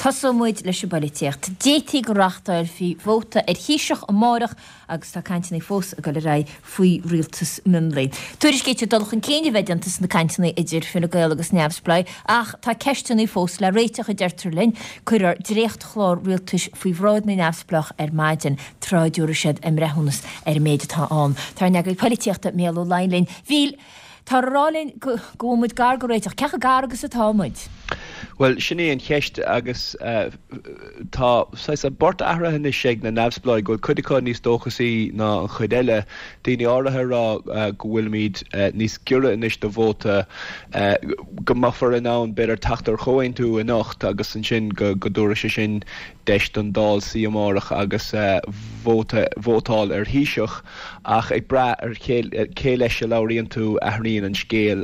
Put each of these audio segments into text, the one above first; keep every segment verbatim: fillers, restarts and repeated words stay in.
Tosóidh muid leis an bpolaitíocht. D'fhéadfaí go reáchtálfaí vóta ar Thaoiseach amárach agus tá cainteanna fós ag dul ar aghaidh faoi rialtas mionlaigh. Tuairiscítear dul chun cinn a bheith déanta sna cainteanna idir Fine Gael agus Neamhspleáigh ach tá ceisteanna fós le réiteach a deirtear linn. Cuirfear dréachtchlár rialtais faoi bhráid na neamhspleách ar maidin tráth a dtabharfaidh siad a mbreithiúnas ar an méid atá ann. Tá ár n-eagraí polaitíochta Mícheál Ó Laighin linn. Mhíchíl, táthar ag rá linn go bhfuil muid gar do réiteach. Cé chomh gar agus atá muid? Bhuel, sin í an cheist agus tá saghas an port athraithe anois ag na neamhspleáigh, go bhfuil cuid acu níos dóchasaí ná an chuid eile. Daoine áirithe ag rá go bhfuilimid níos giorra anois do vóta, go mbeifear in ann b'fhéidir teacht ar chomhaontú anocht agus ansin go dtabharfaidh sé sin deis don Dáil suí amárach agus vóta vótáil ar Thaoiseach ach ag brath ar cé leis a labhraíonn tú athraíonn an scéal.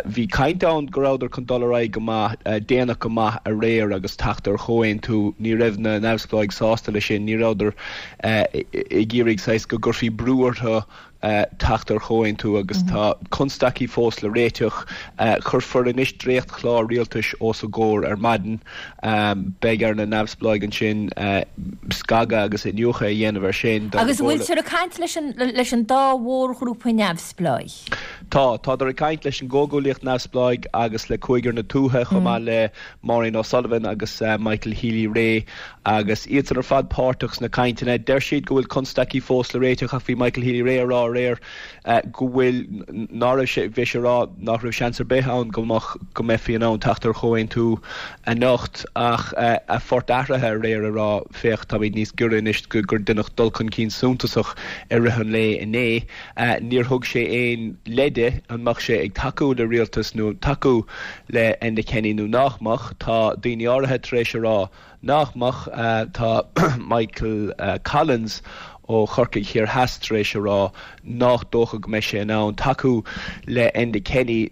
Bhí caint ann go rabhadar chun dul ar aghaidh go maith déanach go maith aréir agus teacht ar chomhaontú. Ní raibh na neamhspleáigh sásta leis sin, ní rabhadar ag iarraidh saghas go gcuirfí brú orthu teacht ar chomhaontú agus tá constaicí fós le réiteach. Cuirfear anois dréachtchlár rialtais os a gcomhair ar maidin. Beidh ar na neamhspleáigh ansin scagadh agus iniúchadh a dhéanamh air sin. Agus an bhfuiltear ag caint leis an leis an dá mhórghrúpa neamhspleáigh? Tá, tádar ag caint leis an gComhghuaillíocht Neamhspleáigh agus le Cúigear na Tuaithe chomh maith le Maureen O'Sullivan agus Michael Healy-Rae agus iadsan ar fad páirteach sna cainteanna. Deir siad go bhfuil constaicí fós le réiteach ach bhí Michael Healy-Rae ag rá aréir go bhfuil ná raibh sé bhí sé ag rá nach raibh seans ar bith ann go mbeadh go mbeifí in ann teacht ar chomhaontú anocht ach a phort athraithe aréir ag rá féach táimid níos giorra anois gur deineadh dul chun cinn suntasach i rith an lae inné. Níor thug sé aon leide an mbeadh sé ag tacú le rialtas nó tacú le Enda Kenny nó nach mbeadh. Tá daoine áirithe tar éis a rá nach mbeadh. Tá Michael Collins ó Chorcaigh Thiar Theas tar éis a rá nach dócha go mbeidh sé in ann tacú le Enda Kenny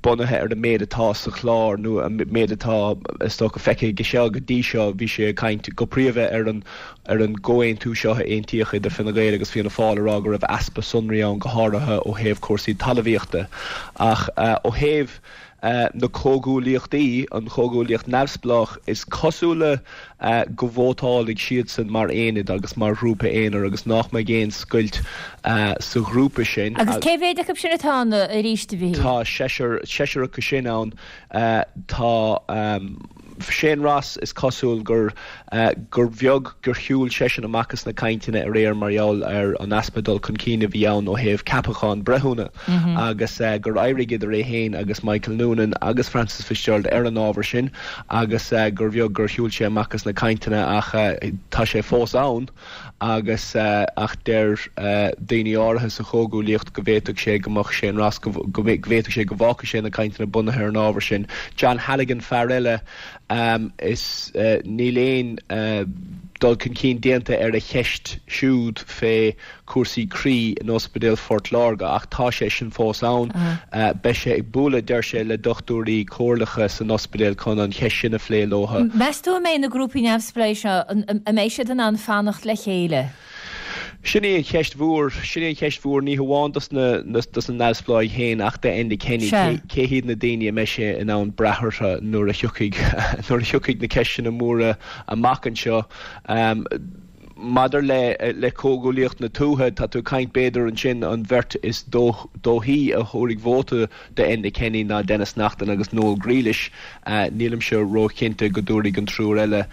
bunaithe ar an méid atá sa chlár nó an méid atá is dócha feicthe aige seo go dtí seo. Bhí sé ag caint go príomha ar an ar an gcomhaontú seo a aontaíodh idir Fine Gael agus Fianna Fáil ag rá go raibh easpa sonraí ann go háirithe ó thaobh cúrsaí talmhaíochta ach ó thaobh na comhghuaillíochtaí, an chomhghuaillíocht neamhspleách, is cosúla go vótálfaidh siadsan mar aonad agus mar ghrúpa aonair agus nach mbeidh aon scoilt sa ghrúpa sin. Agus cé mhéad acu sin atá ann arís, a Mhíchíl? Tá seisear, seisear acu sin ann. Tá. Shane Ross, is cosúil gur gur bheag gur shiúil seisean amach as na cainteanna aréir mar gheall ar an easpa dul chun cinn a bhí ann ó thaobh ceapachán breithiúna agus gur éirigh idir é féin agus Michael Noonan agus Frances Fitzgerald ar an ábhar sin agus gur bheag gur shiúil sé amach as na cainteanna ach tá sé fós ann agus ach deir daoine áirithe sa chomhghuaillíocht go bhféadfadh sé go mbeadh Shane Ross go bhféadfadh sé go bhfágfadh sé na cainteanna bunaithe ar an ábhar sin. John Halligan fear eile is níl aon dul chun cinn déanta ar a cheist siúd fé chúrsaí croí in Ospidéal Phort Láirge ach tá sé sin fós ann. Beidh sé ag bualadh, deir sé, le dochtúirí comhairleacha san ospidéal chun an cheist sin a phlé leo. Meas tú an mbeidh na grúpaí neamhspleácha seo, an mbeidh siad in ann fanacht le chéile? Sin í an cheist mhór. Sin í an cheist mhór, ní hamháin dos na dos na neamhspleáigh féin ach d'Enda Kenny. Cé cé hiad na daoine a mbeidh sé in ann brath orthu nuair a thiocfaidh nuair a thiocfaidh na ceisteanna móra amach anseo. Maidir le le Comhghuaillíocht na Tuaithe, tá tú ag caint b'fhéidir ansin an bheirt is dóichí a thabharfaidh vóta d'Enda Kenny ná Denis Naughten agus Noel Grealish. Nílimse róchinnte go dtabharfaidh an triúr eile,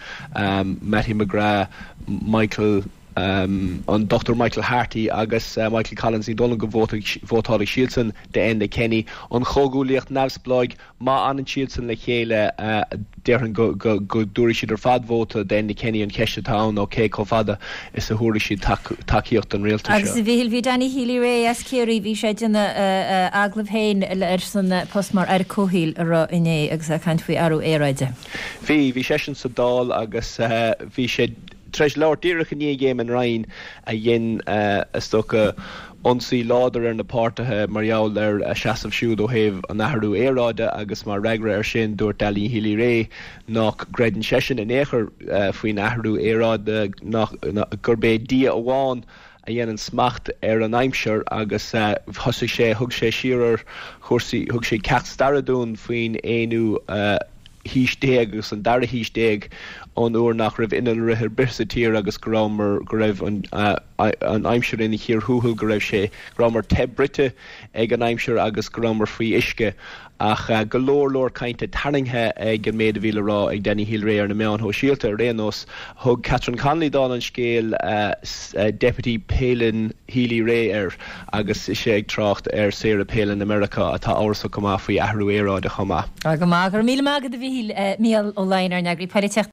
Mattie McGrath, Michael an Dochtúir Michael Harty agus Michael Collins, ní dóigh liom go vótálfaidh siadsan d'Enda Kenny. An Chomhghuaillíocht Neamhspleáigh, má fhanann siadsan le chéile, déarfainn go dtabharfaidh siad ar fad vóta d'Enda Kenny. An cheist atá ann ná cé chomh fada is a thabharfaidh siad tacaíocht don rialtas Agus seo. a Mhíchíl, bhí Danny Healy-Rae as Ciarraí, bhí sé ag déanamh agallamh féin ar son post mar Aire Comhshaoil arú inné agus é ag caint faoi athrú aeráide. Bhí, bhí seisean sa Dáil agus bhí sé tar éis labhairt díreach i ndiaidh Éamon Ryan a dhein, is dócha, ionsaí láidir ar na páirtithe mar gheall ar a seasamh siúd ó thaobh an athrú aeráide agus mar fhreagra air sin dúirt Danny Healy-Rae nach gcreideann seisean in aon chor faoin athrú aeráide, nach, gurb é Dia amháin a dhéanann smacht ar an aimsir agus thosaigh sé, thug sé siar ar chúrsaí, thug sé ceacht staire dúinn faoin aonú. haois déag agus an dara haois déag ón uair nach raibh innealra ar bith sa tír agus go rabhamar go raibh an an aimsir ina chíor thuathail go raibh sé go rabhamar te bruite ag an aimsir agus go rabhamar faoi uisce ach go leor leor cainte tarraingthe ag an méid a bhí le rá ag Danny Healy-Rae ar na meáin shóisialta ar aon nós thug Catherine Connolly dála an scéil Deputy Palin Healy-Rae air agus ise ag trácht ar Sarah Palin i Meiriceá atá amhrasach go maith faoi athrú aeráide chomh maith. Go maith go míle maith agat a Mhíchíl Mícheál Ó Laighin ár n-eagraí polaitíochta.